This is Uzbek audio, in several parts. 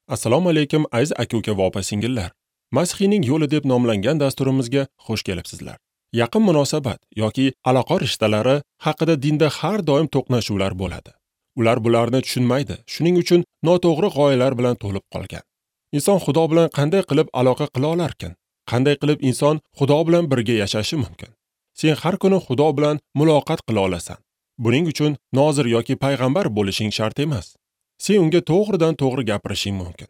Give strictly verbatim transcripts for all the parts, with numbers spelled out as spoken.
Assalomu alaykum aziz aka-uka va opa-singillar. Masihiyning yo'li deb nomlangan dasturimizga xush kelibsizlar. Yaqin munosabat yoki aloqa rishtalari haqida dinda har doim to'qnashuvlar bo'ladi. Ular bularni tushunmaydi, shuning uchun noto'g'ri g'oyalar bilan to'lib qolgan. Inson Xudo bilan qanday qilib aloqa qila olarkan? Qanday qilib inson Xudo bilan birga yashashi mumkin? Sen har kuni Xudo bilan muloqot qila olasan. Buning uchun nozir yoki payg'ambar bo'lishing shart emas. Sen unga to'g'ridan to'g'ri gapirishing mumkin.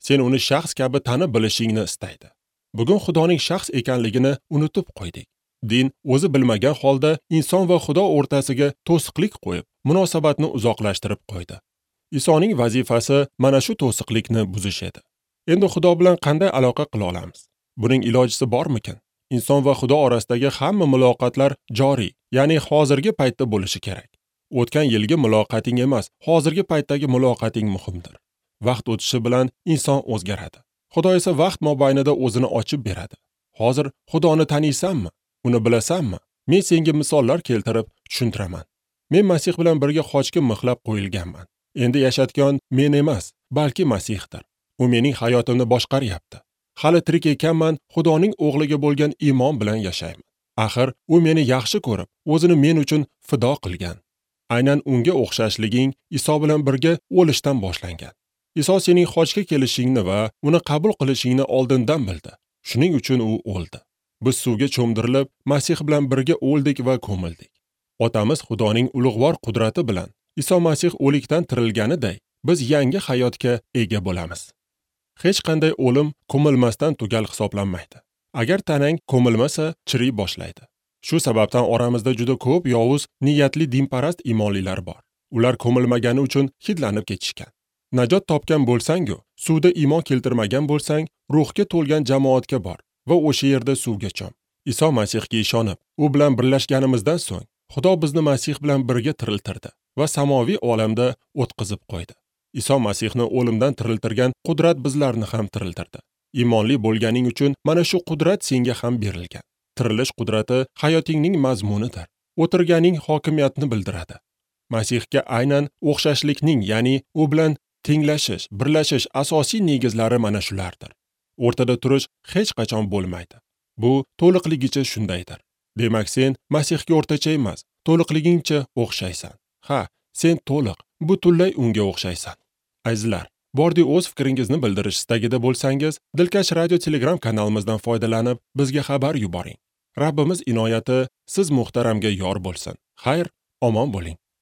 Sen uni shaxs kabi tanib bilishingni istaydi. Bugun Xudoning shaxs ekanligini unutib qo'ydik. Din o'zi bilmagan holda inson va Xudo o'rtasiga to'siqlik qo'yib, munosabatni uzoqlashtirib qo'ydi. Isoning vazifasi mana shu to'siqlikni buzish edi. Endi Xudo bilan qanday aloqa qila olamiz? Buning ilojisi bormikin? Inson va Xudo orasidagi hamma muloqotlar joriy, ya'ni hozirgi paytda bo'lishi kerak. O'tgan yilgi muloqoting emas, hozirgi paytdagi muloqoting muhimdir. Vaqt o'tishi bilan inson o'zgaradi. Xudo esa vaqt mobaynida o'zini ochib beradi. Hozir Xudoni taniysanmi? Uni bilasanmi? Men senga misollar keltirib tushuntiraman. Men Masih bilan birga xochga mixlab qo'yilganman. Endi yashatgan men emas, balki Masihdir. U mening hayotimni boshqaryapti. Hali tirik ekanman, Xudoning o'g'liga bo'lgan iymon bilan yashayman. Axir u meni yaxshi ko'rib, o'zini men uchun fido qilgan. Aynan unga o'xshashliging Iso bilan birga o'lishdan boshlangan. Iso sening xochga kelishingni va uni qabul qilishingni oldindan bildi. Shuning uchun u o'ldi. Biz suvga cho'mdirilib, Masih bilan birga o'ldik va ko'mildik. Otamiz Xudoning ulug'vor qudrati bilan Iso Masih o'likdan tirilganiday, biz yangi hayotga ega bo'lamiz. Hech qanday o'lim ko'milmasdan tugal hisoblanmaydi. Agar tanang ko'milmasa, chiriy boshlaydi. Shu sababdan oramizda juda ko'p yovuz niyatli dinparast imonlilar bor. Ular ko'milmagani uchun hidlanib ketishgan. Najot topgan bo'lsang-u, suvda iymon keltirmagan bo'lsang, ruhga to'lgan jamoatga bor va o'sha yerda suvga chom. Iso Masihga ishonib, u bilan birlashganimizdan so'ng, Xudo bizni Masih bilan birga tiriltirdi va samoviy olamda o'tqizib qo'ydi. Iso Masihni o'limdan tiriltirgan qudrat bizlarni ham tiriltirdi. Iymonli bo'lganing uchun mana shu qudrat senga ham berilgan. Tirilish qudrati hayotingning mazmunidir. O'tirganing hokimiyatni bildiradi. Masihga aynan o'xshashlikning, ya'ni u bilan tenglashish, birlashish asosiy negizlari mana shulardir. O'rtada turish hech qachon bo'lmaydi. Bu to'liqligicha shundaydir. Demak, sen Masihga o'rtacha emas, to'liqligingcha o'xshaysan. Ha, sen to'liq, butunlay unga o'xshaysan. Azizlar, bordi o'z fikringizni bildirish istagida bo'lsangiz, Dilkash Radio Telegram kanalimizdan foydalanib, bizga xabar yuboring. Rabbimiz inoyati siz muhtaramga yor bo'lsin. Xayr, omon bo'ling.